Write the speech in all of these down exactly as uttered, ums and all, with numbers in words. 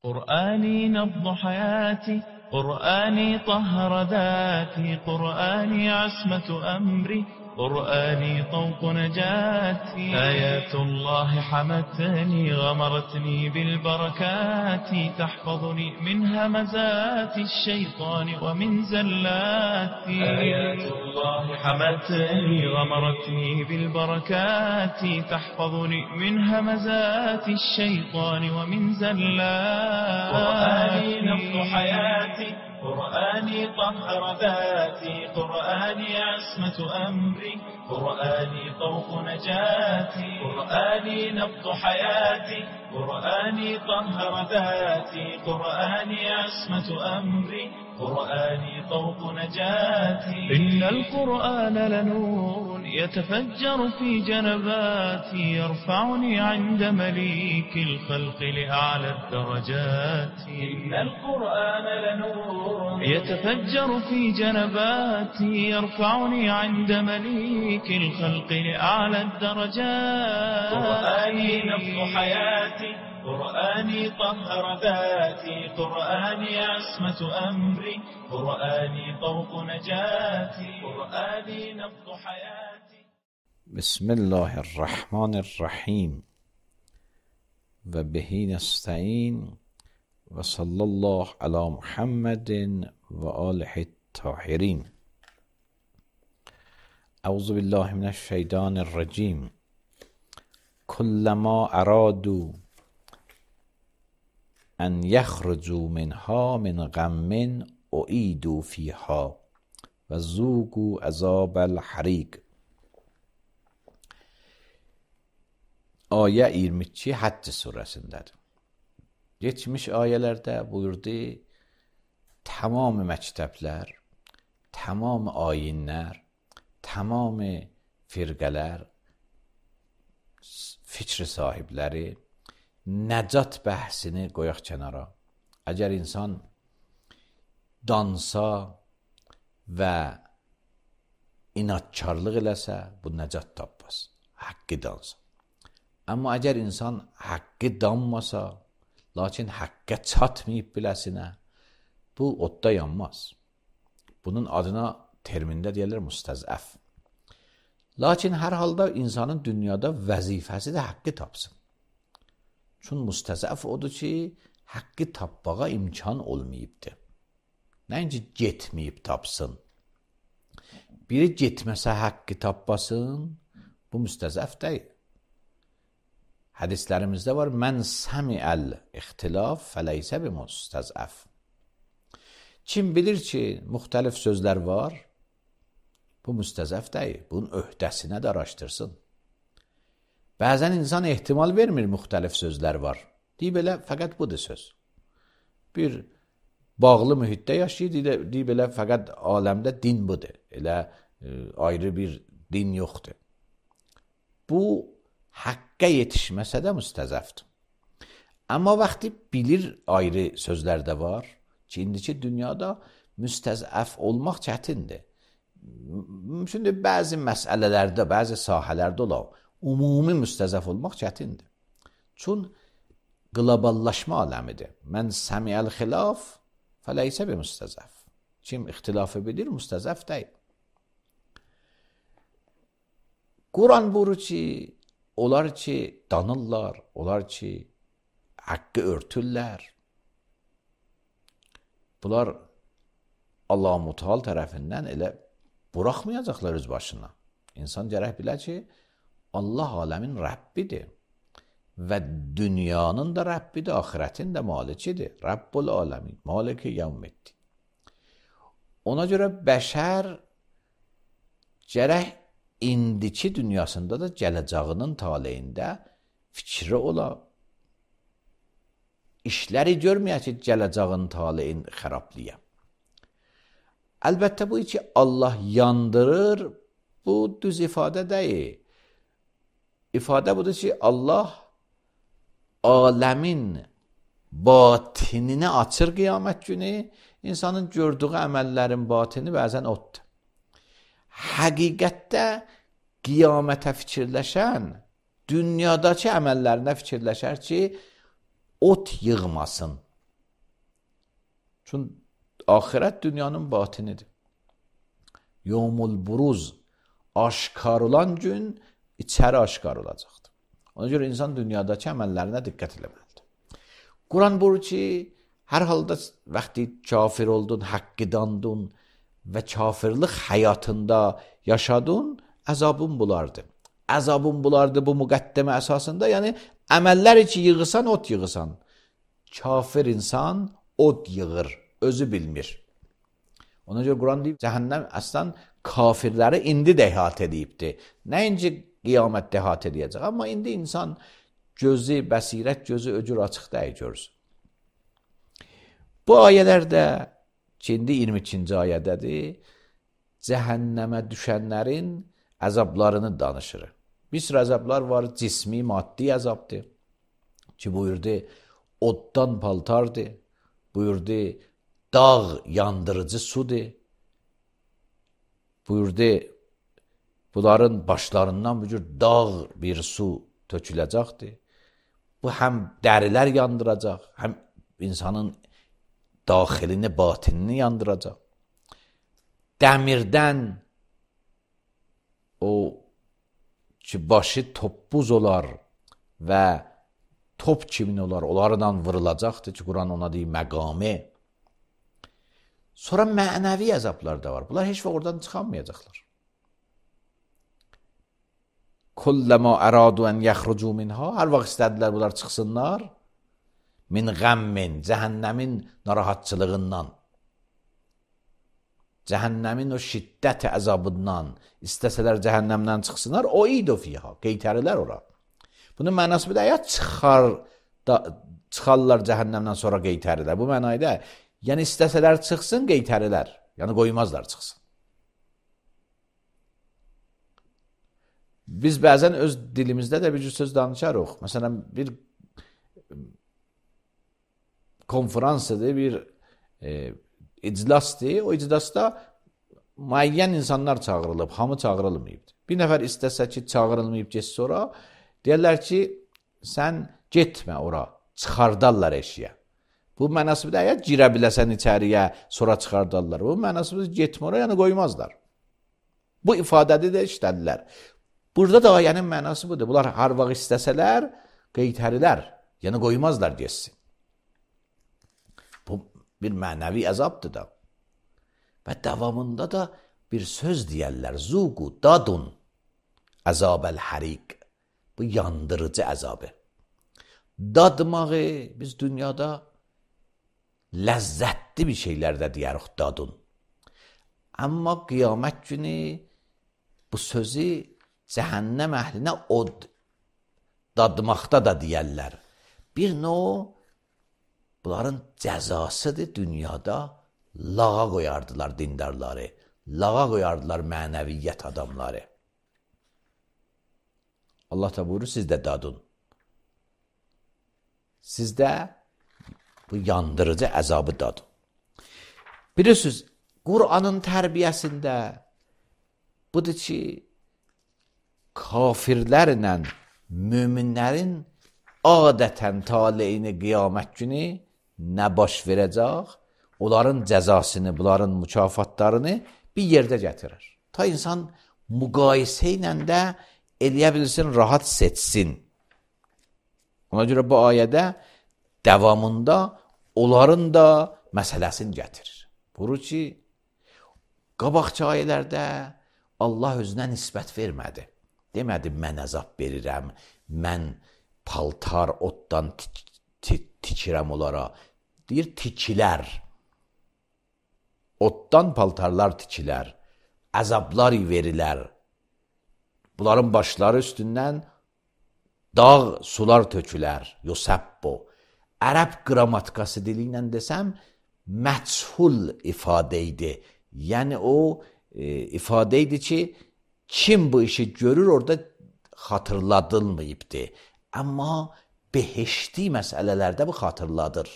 قرآني نبض حياتي، قرآني طهر ذاتي، قرآني عصمة أمري، قرآني طوق نجاتي. آيات الله حمتني غمرتني بالبركات، تحفظني من همزات الشيطان ومن زلاتي. آيات الله حمتني غمرتني بالبركات، تحفظني من همزات الشيطان ومن زلاتي. قرآني نبض حياتي، قرآني طهر ذاتي، قرآني عصمة أمري، قرآني طوق نجاتي. قرآني نبض حياتي، قرآني طهر ذاتي، قرآني عصمة أمري، قرآني طوق نجاتي. إن القرآن لنور يتفجر في جنباتي، يرفعني عند مليك الخلق لأعلى الدرجات. إن القرآن لنور يتفجر في جنباتي، يرفعني عند مليك الخلق لأعلى الدرجات. قرآني نبض حياتي، قرآني طهر ذاتي، قرآني عصمة أمري، قرآني طوق نجاتي. قرآني نبض حياتي. بسم الله الرحمن الرحیم و بهی نستعین و صلی الله علی محمد و آله الطاهرین. اعوذ بالله من الشیطان الرجیم. کلما ارادوا ان یخرجوا منها من غم اعیدوا فیها و ذوقوا عذاب الحریق. Ayə iyirmi iki Həcc surəsindədir. Geçmiş ayələrdə buyurdu, tamam məktəblər, tamam ayinlər, tamam firqələr, fikr sahibləri nəcat bəhsini qoyaq kənara. Əgər insan dansa və inatkarlıq eləsə, bu nəcat tapmaz. Haqqı dansa. Amma əgər insan haqqı danmasa, lakin haqqqa çatmayıb biləsinə, bu odda yanmaz. Bunun adına termində deyilir müstəzəf. Lakin hər halda insanın dünyada vəzifəsi də haqqı tapsın. Çünki müstəzəf odur ki, haqqı tapmağa imkan olmayıbdır. Nəinki getməyib tapsın. Biri getməsə haqqı tapmasın, bu müstəzəf deyil. Hədislərimizdə var, mən səmiəl ixtilaf fəleysə bi müstəzəf. Kim bilir ki, müxtəlif sözlər var, bu müstəzəf deyil. Bunun öhdəsini də araşdırsın. Bəzən insan ehtimal vermir, müxtəlif sözlər var. Deyib elə, fəqət budur söz. Bir bağlı mühitdə yaşayır, deyib elə, fəqət aləmdə din budur. Elə e, ayrı bir din yoxdur. Bu, haqqqa yetişməsə də müstəzəfdir. Amma vaxtı bilir ayrı sözlər də var ki, indiki dünyada müstəzəf olmaq çətindir. Şimdi bəzi məsələlərdə, bəzi sahələrdə ola, ümumi müstəzəf olmaq çətindir. Çün qloballaşma aləmidir. Mən səmiəl xilaf fəleysə bi müstəzəf. Kim ixtilafı bilir, müstəzəf deyil. Quran buyurur ki, onlar ki danırlar, onlar ki haqqı örtürlər. Bunlar Allah-u Muteal tərəfindən elə buraxmayacaqlar öz başına. İnsan gərək bilə ki, Allah aləmin Rəbbidir və dünyanın da Rəbbidir, axirətin də malikidir. Rəbbul aləmin, maliki yevmiddin. Ona görə bəşər gərək indiki dünyasında da gələcəyinin taleyində fikri ola. İşləri görməyə ki, gələcəyin taleyin xərablıya. Əlbəttə bu ki, Allah yandırır, bu düz ifadə deyil. İfadə budur ki, Allah aləmin batinini açır qiyamət günü, insanın gördüyü əməllərin batini bəzən oddur. Həqiqətdə qiyamətə fikirləşən dünyadakı əməllərinə fikirləşər ki, ot yığmasın, Çünki axirət dünyanın batinidir. Yevmul buruz, aşkar olan gün içəri aşkar olacaqdır. Ona görə insan dünyadakı əməllərinə diqqət eləməlidir. Quran buyurur ki, hər halda vaxtı kafir oldun, haqqidandun və kafirlik həyatında yaşadın, əzabın bulardı. Əzabın bulardı bu müqəddimə əsasında, yəni əməllər ki yığırsan, ot yığırsan. Kafir insan ot yığır, özü bilmir. Ona görə Quran deyib, cəhənnəm əslən kafirləri indi də əhatə edibdir. Nəinci qiyamətdə əhatə edəcək, amma indi insan gözü, bəsirət gözü öcür açıq dəyi görsün. Bu ayələrdə, ki, indi iyirmi ikinci ayədədir, cəhənnəmə düşənlərin əzablarını danışır. Bir sürü əzablar var, cismi, maddi əzabdır. Ki, buyurdu, oddan paltardır. Buyurdu, dağ yandırıcı sudur. Buyurdu, bunların başlarından bir cür dağ bir su töküləcəkdir. Bu həm dərilər yandıracaq, həm insanın daxilini, batinini yandıracaq. Dəmirdən o ki, başı toppuz olar və top kimin olar, onlarla vırılacaqdır ki, Quran ona deyir məqami. Sonra mənəvi əzablar da var. Bunlar heç vaxt oradan çıxanmayacaqlar. Kulləmə əradu ən yəxrucu minha, hər vaxt istədilər bunlar çıxsınlar, min qəmmin, cəhənnəmin narahatçılığından, cəhənnəmin o şiddət əzabından, istəsələr cəhənnəmdən çıxsınlar, o ido fiha, qeytərilər ora. Bunun mənası bir də, ya çıxar, da, çıxarlar cəhənnəmdən sonra qeytərilər. Bu mənayda, yəni istəsələr çıxsın, qeytərilər, yəni qoymazlar çıxsın. Biz bəzən öz dilimizdə də bir söz danışarıq. Məsələn, bir konferansıdır, bir e, iclasdır. O iclasda müəyyən insanlar çağırılıb, hamı çağırılmayıb. Bir nəfər istəsə ki, çağırılmayıb getsə sonra, deyərlər ki, sən getmə ora, çıxardarlar eşiyə. Bu mənası bir də, ya girə biləsən içəriyə, sonra çıxardarlar. Bu mənası bir getmə ora, yəni qoymazlar. Bu ifadədə də işlədilər. Burada da ayənin mənası budur. Bunlar hər vaxt istəsələr, qeytərilər, yəni qoymazlar geçsin. Bu bir mənəvi əzabdır da. Və davamında da bir söz deyərlər. Zuqu dadun əzabəl həriq. Bu yandırıcı əzabı. Dadmağı biz dünyada ləzzətli bir şeylərdə deyərik dadun. Amma qiyamət günü bu sözü cəhənnəm əhlinə od dadmaqda da deyərlər. Bir növ bunların cəzasıdır dünyada, lağa qoyardılar dindarları, lağa qoyardılar mənəviyyət adamları. Allah da buyurur, siz də dadın. Siz də bu yandırıcı əzabı dadın. Bilirsiniz, Qur'anın tərbiyəsində budur ki, kafirlərlə müminlərin adətən taleyini qiyamət günü nə baş verəcək, onların cəzasını, bunların mükafatlarını bir yerdə gətirir. Ta insan müqayisə ilə də eləyə bilsin, rahat seçsin. Ona görə bu ayədə davamında onların da məsələsini gətirir. Buyurur ki, qabaqçı ayələrdə Allah özünə nisbət vermədi. Demədi, mən əzab verirəm, mən paltar otdan tikirəm onlara. Deyir, tikilər. Otdan paltarlar tikilər. Əzablar verilər. Bunların başları üstündən dağ sular tökülər. Yusəbbo. Ərəb qrammatikası dili ilə desəm, məchul ifadə idi. Yəni o e, ifadə idi ki, kim bu işi görür, orada xatırladılmayıbdır. Amma behişti məsələlərdə bu xatırladır.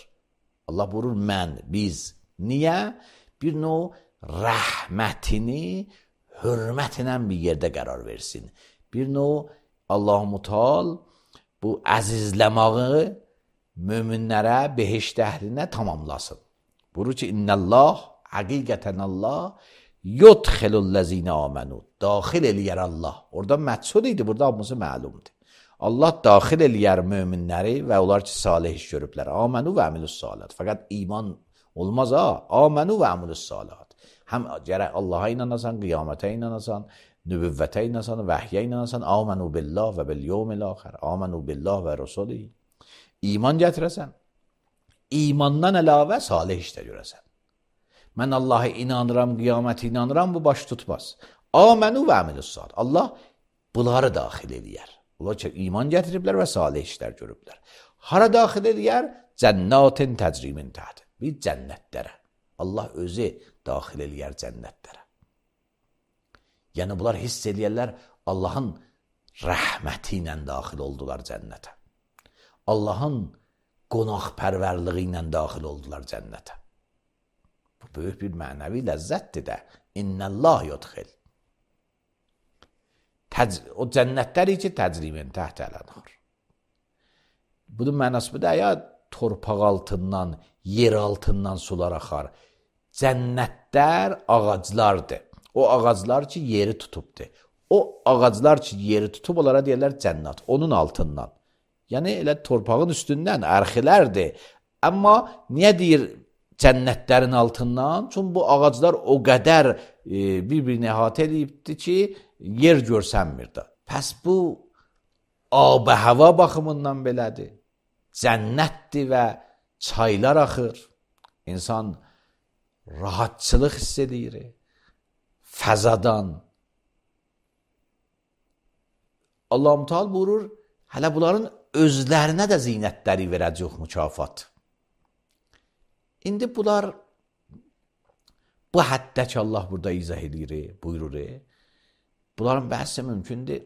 Allah buyurur, mən, biz. Niyə? Bir növ rəhmətini hörmətlə bir yerdə qərar versin. Bir növ Allah-u Mutal bu əzizləməyi möminlərə, behişt əhlinə tamamlasın. Buyurur ki innəllah, həqiqətən Allah yudxilul-ləzine amenu, daxil eləyər Allah. Orada məqsud idi, burada hamısı məlumdur. Allah daxil eləyər möminləri və onlar ki salih iş görüblər. Amenu və əmilus salat. Fəqət iman olmaz ha. Amenu və əmilus salat. Həm gərək Allaha inanasan, qiyamətə inanasan, nübüvvətə inanasan, vəhyə inanasan. Amenu billah və bil yevmil axir. Amenu billah və rəsuli. İman gətirəsən. İmandan əlavə salih işdə görəsən. Mən Allaha inanıram, qiyamətə inanıram, bu baş tutmaz. Amenu və əmilus salat. Allah bunları daxil eləyər. Onlar ki, iman gətiriblər və salih işlər görüblər. Hara daxil eləyər? Cənnatin təcrimin təhti. Bir cənnətlərə. Allah özü daxil eləyər cənnətlərə. Yəni, bunlar hiss eləyərlər, Allahın rəhməti ilə daxil oldular cənnətə. Allahın qonaqpərvərliyi ilə daxil oldular cənnətə. Bu böyük bir mənəvi ləzzətdir də. İnnəllah yudxil. O cənnətləri ki, təcrimin təhtə ələnhar. Bunun mənası bu da, ya torpaq altından, yer altından sular axar. Cənnətlər ağaclardır. O ağaclar ki, yeri tutubdur. O ağaclar ki, yeri tutub, onlara deyirlər cənnət. Onun altından. Yəni, elə torpağın üstündən ərxilərdir. Amma niyə deyir cənnətlərin altından? Çünki bu ağaclar o qədər e, bir-birini əhatə edibdir ki, yer görsənmir də. Pəs bu ab-ı hava baxımından belədir. Cənnətdir və çaylar axır. İnsan rahatçılıq hiss edir. Fəzadan. Allah-u Teala buyurur, hələ bunların özlərinə də zinətləri verəcək mükafat. İndi bunlar bu həddə ki, Allah burada izah edir, buyurur. Bunların bəhsi mümkündür.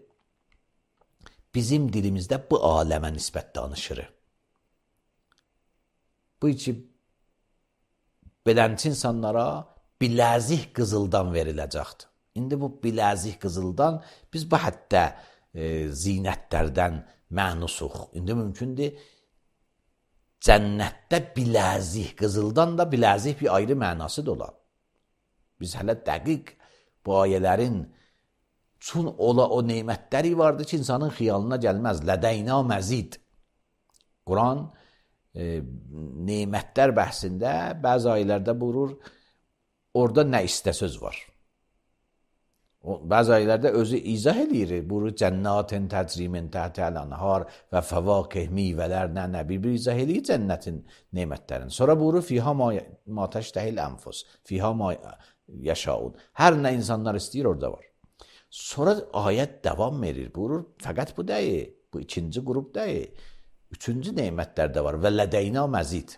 Bizim dilimizdə bu aləmə nisbət danışır. Bu ki, belənçi insanlara biləzik qızıldan veriləcəkdir. İndi bu biləzik qızıldan biz bu həddə e, zinətlərdən mənusuq. İndi mümkündür, cənnətdə biləzik qızıldan da biləzik bir ayrı mənası da olar. Biz hələ dəqiq bu ayələrin çün ola o neymətləri vardı ki, insanın xiyalına gəlməz. Lədəyna məzid. Quran e, neymətlər bəhsində bəzi ayələrdə buyurur, orada nə istəsöz var. O, bəzi ayələrdə özü izah edir. Buyurur, cənnətin təcrimin təhtəl anhar və fəvakih meyvələr nə nə bir-bir izah edir cənnətin neymətlərini. Sonra buyurur, fiha ma, ma təştəhil ənfus, fiha ma yaşaun. Hər nə insanlar istəyir orada var. Sonra ayət davam verir. Buyurur, fəqət bu deyil. Bu ikinci qrup deyil. Üçüncü neymətlər də var. Və lədəyna məzid.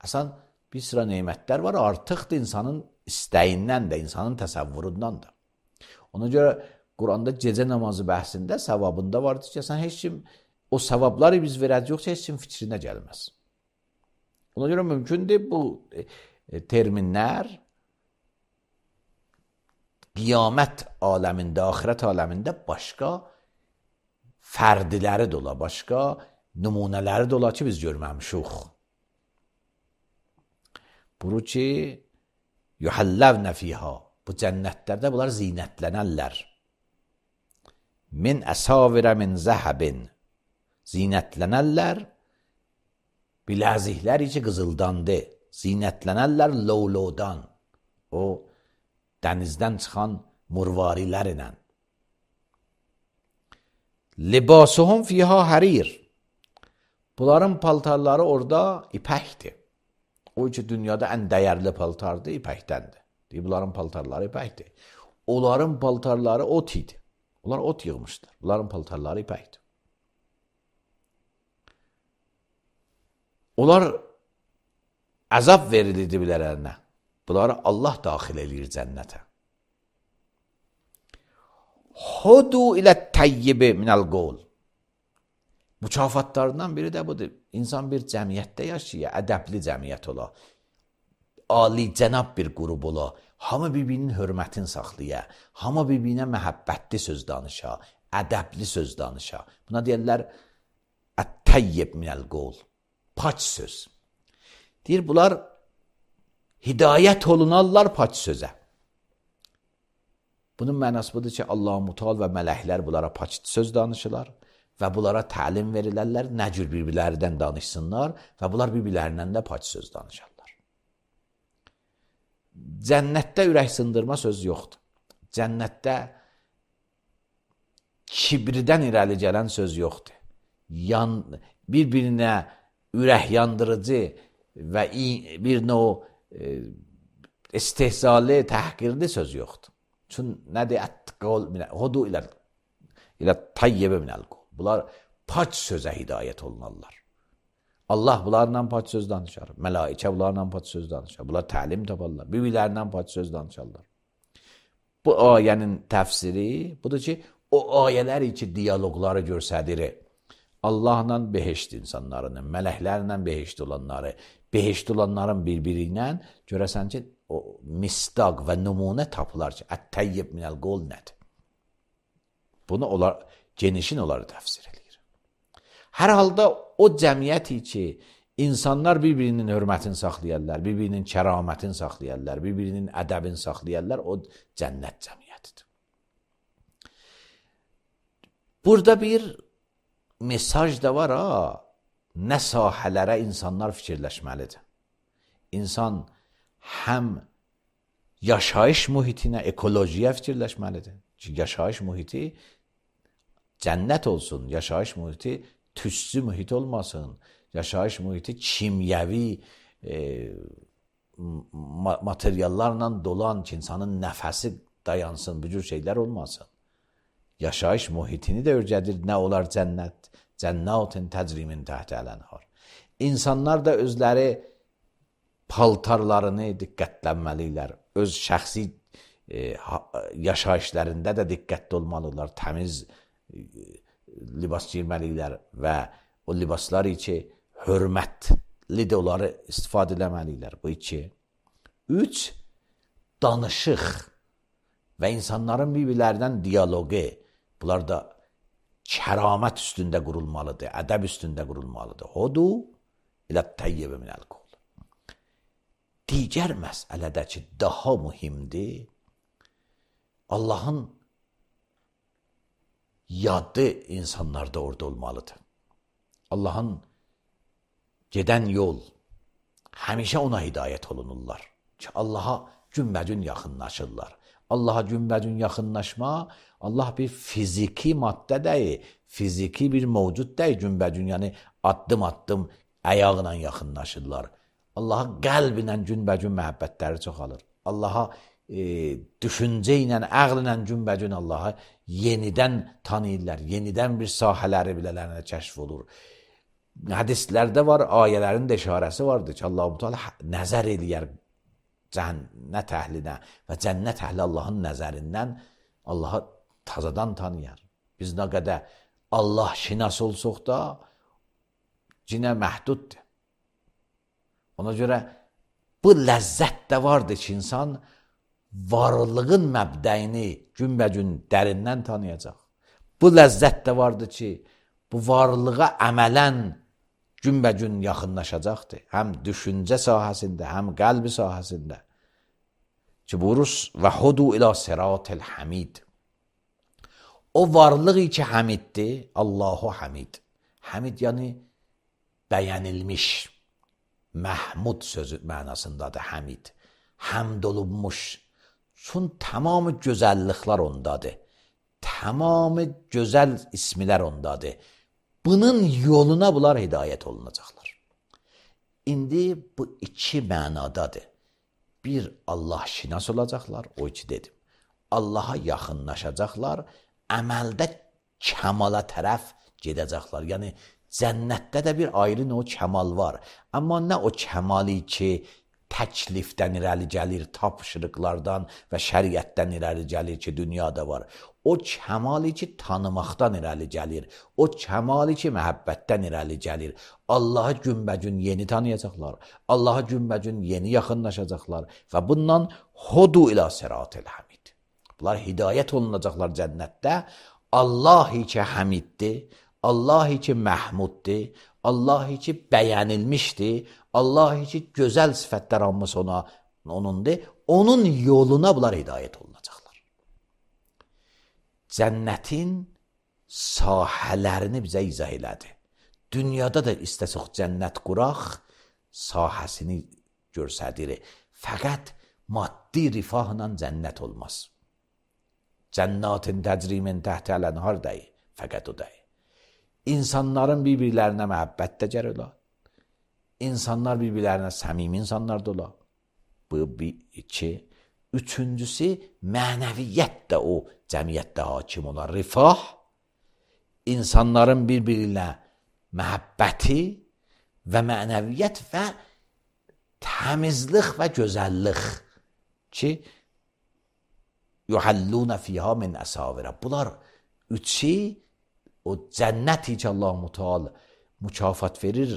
Əsən bir sıra neymətlər var, artıqdır insanın istəyindən də, insanın təsəvvüründən də. Ona görə Quranda gecə namazı bəhsində, savabında vardır ki, sən heç kim o savabları biz verəcək, yoxsa heç kim fikrinə gəlməz. Ona görə mümkündür bu e, terminlər qiyamət aləmində, axirət aləmində başqa fərdiləri də ola, başqa nümunələri də ola ki, biz görməmişik. Buyurur ki, yuhallavnə fiha, bu cənnətlərdə bunlar zinətlənərlər. Min əsavirə min zəhəbin, zinətlənərlər, biləziklər ki qızıldandır, zinətlənərlər lovlovdan, o dənizdən çıxan murvarilər ilə. Libasuhum fiha hərir, bunların paltarları orada ipəkdir. O ki, dünyada ən dəyərli paltardır, ipəkdəndir. Deyib, bunların paltarları ipəkdir. Onların paltarları ot idi. Onlar ot yığmışlar. Bunların paltarları ipəkdir. Onlar əzab verilirdi bilərlərinə. Bunları Allah daxil eləyir cənnətə. Hudu ilə təyyibi minəl qol. Mükafatlarından biri də budur. İnsan bir cəmiyyətdə yaşayır, ədəbli cəmiyyət ola, ali cənab bir qrup ola, hamı bir-birinin hörmətini saxlaya, hamı bir-birinə məhəbbətli söz danışa, ədəbli söz danışa. Buna deyirlər, ət-təyyib minəl qol, paç söz. Deyir, bunlar hidayət olunarlar pak sözə. Bunun mənası budur ki, Allah-u Mutal və mələklər bunlara pak söz danışırlar və bunlara təlim verilərlər, nə cür bir-birlərindən danışsınlar və bunlar bir-birlərindən də pak söz danışarlar. Cənnətdə ürək sındırma söz yoxdur. Cənnətdə kibridən irəli gələn söz yoxdur. Yan, bir-birinə ürək yandırıcı və bir növ e, istehzalı, təhqirli söz yoxdur. Çün nədir? Ət-qol minə, hudu ilə ilə tayyibə minəl qol. Bunlar pak sözə hidayət olunarlar. Allah bunlarla pak söz danışar. Mələikə bunlarla pak söz danışar. Bunlar təlim taparlar. Bir-birlərindən pak söz danışarlar. Bu ayənin təfsiri budur ki, o ayələr ki, diyaloqları görsədir. Allahla behişt insanlarının, mələklərlə behişt olanları, behişt olanların bir-biri ilə görəsən ki, o mistaq və nümunə tapılar ki, ət-təyyib minəl qol nədir? Bunu onlar, genişin onları təfsir edir. Hər halda o cəmiyyəti ki, insanlar bir-birinin hörmətini saxlayarlar, bir-birinin kəramətini saxlayarlar, bir-birinin ədəbini saxlayarlar, o cənnət cəmiyyətidir. Burada bir mesaj da var ha, nə sahələrə insanlar fikirləşməlidir. İnsan həm yaşayış mühitinə, ekolojiyə fikirləşməlidir. Ki, yaşayış mühiti cənnət olsun, yaşayış mühiti tüssü mühit olmasın, yaşayış mühiti kimyəvi e, materiallarla dolan ki, insanın nəfəsi dayansın, bu cür şeylər olmasın. Yaşayış mühitini də örgədir, nə olar cənnət, cənnətin təcrimin təhtə ələnhar. İnsanlar da özləri paltarlarını diqqətlənməlidirlər, öz şəxsi e, yaşayışlarında da diqqətli olmalıdırlar, təmiz e, libas giyməlidirlər və o libaslar ki, hörmətli də onları istifadə eləməlidirlər. Bu iki. Üç, danışıq və insanların bir-birlərindən diyaloqu, bunlar da kəramət üstündə qurulmalıdır, ədəb üstündə qurulmalıdır. Hudu ilə təyyibə minəl qol. Digər məsələdə ki, daha mühimdir, Allahın yadı insanlarda orada olmalıdır. Allahın gedən yol, həmişə ona hidayət olunurlar ki, Allaha günbəcün yaxınlaşırlar. Allaha günbəcün yaxınlaşma, Allah bir fiziki maddə deyil, fiziki bir mövcud deyil günbəcün, yəni addım-addım əyaqla yaxınlaşırlar. Allaha qəlblə günbəcün məhəbbətləri çoxalır. Allaha e, düşüncə ilə, əql ilə günbəcün Allaha yenidən tanıyırlar, yenidən bir sahələri bilələrinə kəşf olur. Hədislərdə var, ayələrin də işarəsi vardır ki, Allah-u Teala nəzər eləyər cənnət əhlinə və cənnət əhli Allahın nəzərindən Allaha tazadan tanıyar. Biz nə qədər Allah şinas olsuq da cinə məhduddur. Ona görə bu ləzzət də vardır ki, insan varlığın məbdəyini günbəcün dərindən tanıyacaq. Bu ləzzət də vardır ki, bu varlığa əmələn günbəcün yaxınlaşacaqdır. Həm düşüncə sahəsində, həm qəlbi sahəsində. Ki, buyuruz, və hudu ilə siratil hamid. O varlığı ki, hamiddir, Allahu hamid. Hamid yəni bəyənilmiş, Məhmud sözü mənasındadır hamid. Həmd olunmuş. Çün tamamı gözəlliklər ondadır. Tamamı gözəl ismilər ondadır. Bunun yoluna bunlar hidayət olunacaqlar. İndi bu iki mənadadır. Bir, Allah şinas olacaqlar, o iki dedim. Allaha yaxınlaşacaqlar, əməldə kəmala tərəf gedəcəklər. Yəni, cənnətdə də bir ayrı o kəmal var. Amma nə o kəmali ki, təklifdən irəli gəlir, tapşırıqlardan və şəriətdən irəli gəlir ki, dünyada var. O kəmali ki, tanımaqdan irəli gəlir. O kəmali ki, məhəbbətdən irəli gəlir. Allahı günbəcün yeni tanıyacaqlar. Allahı günbəcün yeni yaxınlaşacaqlar. Və bundan hudu ilə siratil hamid. Bunlar hidayət olunacaqlar cənnətdə. Allah-i ki, hamiddir. Allah-i ki, məhmuddir. Allah-i ki, bəyənilmişdir. Allah-i ki, gözəl sifətlər almış ona Onundur. Onun yoluna bunlar hidayət olunacaqlar. Cənnətin sahələrini bizə izah elədi. Dünyada da istəsək cənnət quraq, sahəsini görsədir. Fəqət maddi rifahla cənnət olmaz. Cənnətin təcrimin təhtə ələnhar deyil. Fəqət o deyil. İnsanların bir-birlərinə məhəbbət də gər ola. İnsanlar bir-birlərinə səmimi insanlar da ola. Bu bir, iki. Üçüncüsü, mənəviyyət də o cəmiyyətdə hakim olan rifah, insanların bir-birinə məhəbbəti və mənəviyyət və təmizlik və gözəllik ki, yuhalluna fiha min əsavirə. Bunlar üçü o cənnəti ki, Allah-u Teala mükafat verir,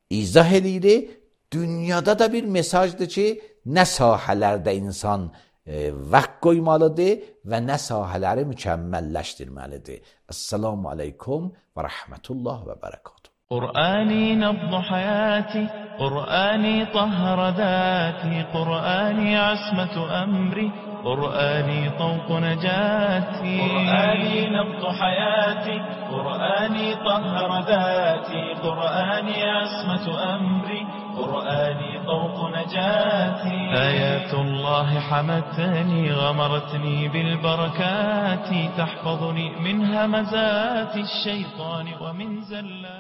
izah edir. Dünyada da bir mesajdır ki, nə sahələrdə insan e, vaxt qoymalıdır və nə sahələri mükəmməlləşdirməlidir. Esselamu aleykum və rəhmətullah və bərəkatuhu. قرآني نبض حياتي قرآني طهر ذاتي قرآني عصمة أمري قرآني طوق نجاتي قرآني نبض حياتي قرآني طهر ذاتي قرآني عصمة أمري قرآني طوق نجاتي آيات الله حمتني غمرتني بالبركات تحفظني من همزات الشيطان ومن زلات